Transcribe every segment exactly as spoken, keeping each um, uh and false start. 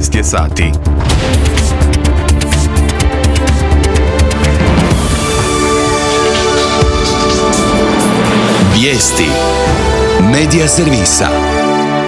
sedamnaest je sati. Vijesti Medija servisa.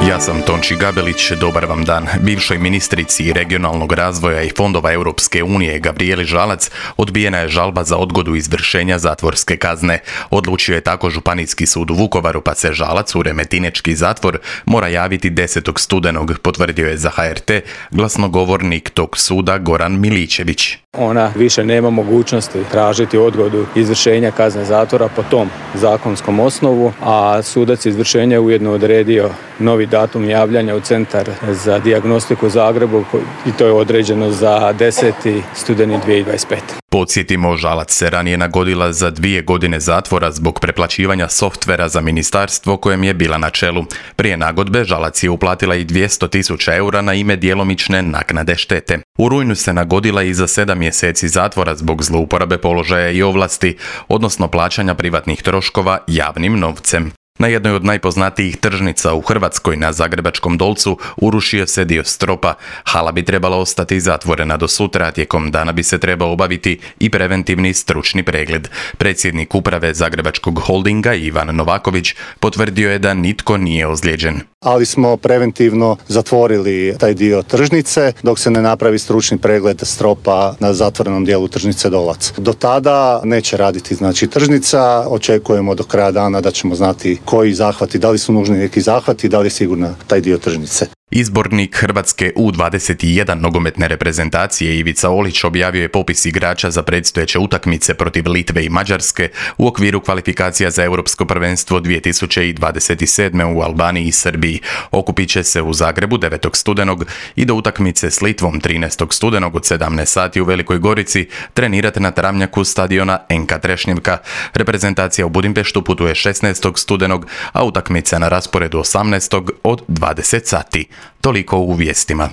Ja sam Tonči Gabelić, dobar vam dan. Bivšoj ministrici regionalnog razvoja i fondova Europske unije Gabrijeli Žalac odbijena je žalba za odgodu izvršenja zatvorske kazne. Odlučio je tako Županijski sud u Vukovaru, pa se Žalac u remetinečki zatvor mora javiti desetog studenog, potvrdio je za H R T glasnogovornik tog suda Goran Miličević. Ona više nema mogućnosti tražiti odgodu izvršenja kazne zatvora po tom zakonskom osnovu, a sudac izvršenja je ujedno odredio novi datum javljanja u Centar za dijagnostiku u Zagrebu i to je određeno za deseti studeni dvije tisuće dvadeset pete. Podsjetimo, Žalac se ranije nagodila za dvije godine zatvora zbog preplaćivanja softvera za ministarstvo kojem je bila na čelu. Prije nagodbe Žalac je uplatila i dvjesto tisuća eura na ime djelomične naknade štete. U rujnu se nagodila i za sedam mjeseci zatvora zbog zlouporabe položaja i ovlasti, odnosno plaćanja privatnih troškova javnim novcem. Na jednoj od najpoznatijih tržnica u Hrvatskoj, na Zagrebačkom Dolcu, urušio se dio stropa. Hala bi trebala ostati zatvorena do sutra, a tijekom dana bi se trebao obaviti i preventivni stručni pregled. Predsjednik uprave Zagrebačkog holdinga Ivan Novaković potvrdio je da nitko nije ozlijeđen. Ali smo preventivno zatvorili taj dio tržnice dok se ne napravi stručni pregled stropa na zatvorenom dijelu tržnice Dolac. Do tada neće raditi znači tržnica, očekujemo do kraja dana da ćemo znati koji zahvati, da li su nužni neki zahvati, da li je sigurna taj dio tržnice. Izbornik Hrvatske U dvadeset jedan nogometne reprezentacije Ivica Olić objavio je popis igrača za predstojeće utakmice protiv Litve i Mađarske u okviru kvalifikacija za Europsko prvenstvo dvije tisuće dvadeset sedme u Albaniji i Srbiji. Okupit će se u Zagrebu devetog studenog i do utakmice s Litvom trinaestog studenog od sedamnaest sati u Velikoj Gorici trenirati na travnjaku stadiona Enka Trešnjevka. Reprezentacija u Budimpeštu putuje šesnaestog studenog, a utakmica na rasporedu osamnaestog od dvadeset sati. Toliko u vijestima.